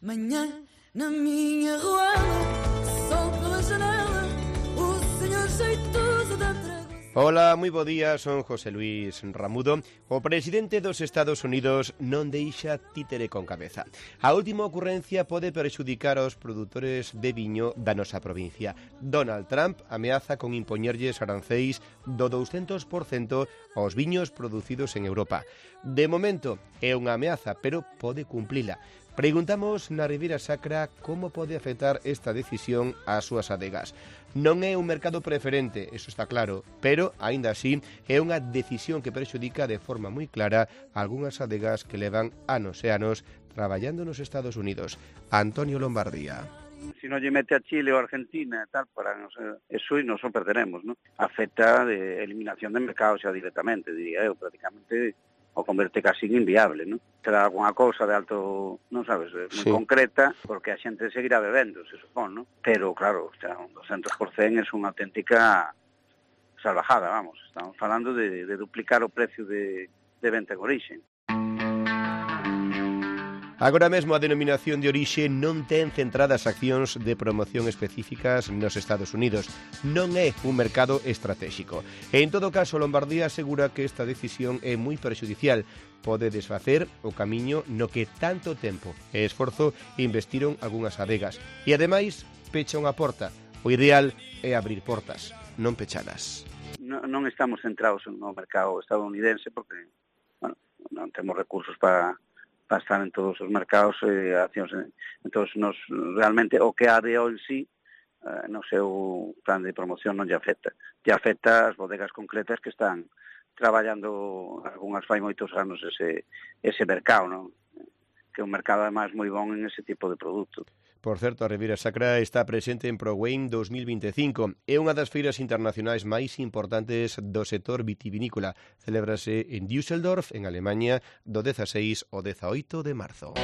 Manhã na minha ruela, sol pela janela, o señor xeitoso da tregua. Hola, moi bo día, son José Luis Ramudo. O presidente dos Estados Unidos non deixa títere con cabeza. A última ocurrencia pode perxudicar aos produtores de viño da nosa provincia. Donald Trump ameaza con impoñerlles arancéis do 200% aos viños producidos en Europa. De momento é unha ameaza, pero pode cumplila. Preguntamos na Ribeira Sacra como pode afectar esta decisión ás súas adegas. Non é un mercado preferente, eso está claro, pero, aínda así, é unha decisión que perxudica de forma moi clara algunhas adegas que levan anos e anos traballando nos Estados Unidos. Antonio Lombardía. Si non lle mete a Chile ou a Argentina e tal, para nos, eso e nos o perderemos, ¿no? Afecta de eliminación de mercado xa directamente, diría eu, prácticamente o converte casi inviable, ¿no? Será alguna cousa de alto, non sabes, moi concreta, porque a xente seguirá bebendo, se supón, ¿no? Pero, claro, o sea, un 200% é unha auténtica salvajada, vamos. Estamos falando de duplicar o precio de venta en orixe. Agora mesmo a denominación de orixe non ten centradas accións de promoción específicas nos Estados Unidos. Non é un mercado estratégico. E en todo caso, Lombardía asegura que esta decisión é moi perxudicial. Pode desfacer o camiño no que tanto tempo e esforzo investiron algunhas adegas. E ademais, pecha unha porta. O ideal é abrir portas, non pechalas. Non estamos centrados no mercado estadounidense porque, bueno, non temos recursos para estar en todos os mercados e accións. Entón, realmente o que a DO en sí, no seu plan de promoción non lle afecta. Lle afecta as bodegas concretas que están traballando algunhas fai moitos anos ese mercado, non? Que é un mercado además moi bon en ese tipo de produto. Por certo, a Ribeira Sacra está presente en ProWein 2025. É unha das feiras internacionais máis importantes do sector vitivinícola. Celébrase en Düsseldorf, en Alemanha, do 16 ao 18 de marzo.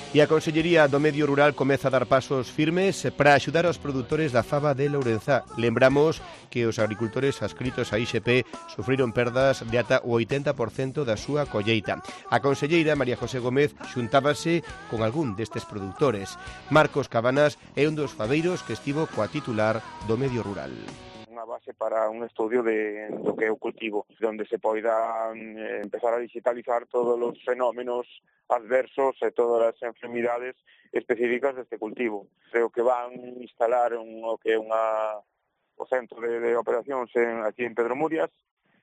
E a Consellería do Medio Rural comeza a dar pasos firmes para axudar aos produtores da faba de Lourenzá. Lembramos que os agricultores adscritos a IXP sufriron perdas de ata o 80% da súa colleita. A conselleira María José Gómez xuntábase con algún destes produtores. Marcos Cabanas é un dos fabeiros que estivo coa titular do Medio Rural. Unha base para un estudio do que é o cultivo, onde se poida empezar a digitalizar todos os fenómenos adversos e todas as enfermidades específicas deste cultivo. Creo que van instalar o que é o centro de operacións aquí en Pedro Murias,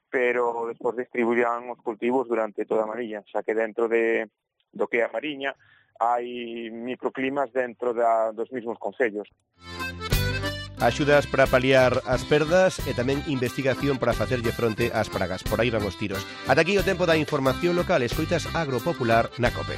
pero despois distribuirán os cultivos durante toda a Mariña, xa que dentro do que é a Mariña hai microclimas dentro dos mesmos concellos. Axudas para paliar as perdas e tamén investigación para facerlle fronte ás pragas. Por aí van os tiros. Ata aquí o tempo da información local. Escoitas Agropopular na COPE.